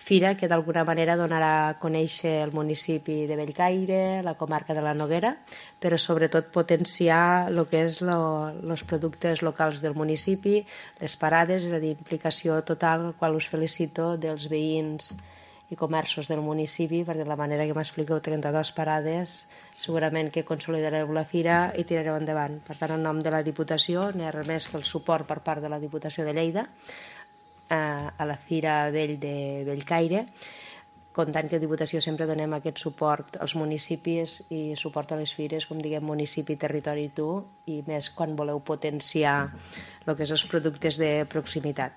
fira que d'alguna manera donarà a conèixer el municipi de Bellcaire, la comarca de la Noguera, però sobretot potenciar el que és els productes locals del municipi, les parades, és a dir, implicació total, al qual us felicito, dels veïns i comerços del municipi, perquè la manera que m'expliqueu 32 parades segurament que consolidareu la fira i tirareu endavant. Per tant, en nom de la Diputació, no hi ha res més que el suport per part de la Diputació de Lleida a la Fira Vell de Bellcaire, comptant que a Diputació sempre donem aquest suport als municipis i suport a les fires, com diguem, municipi, territori i tu, i més quan voleu potenciar el que és els productes de proximitat.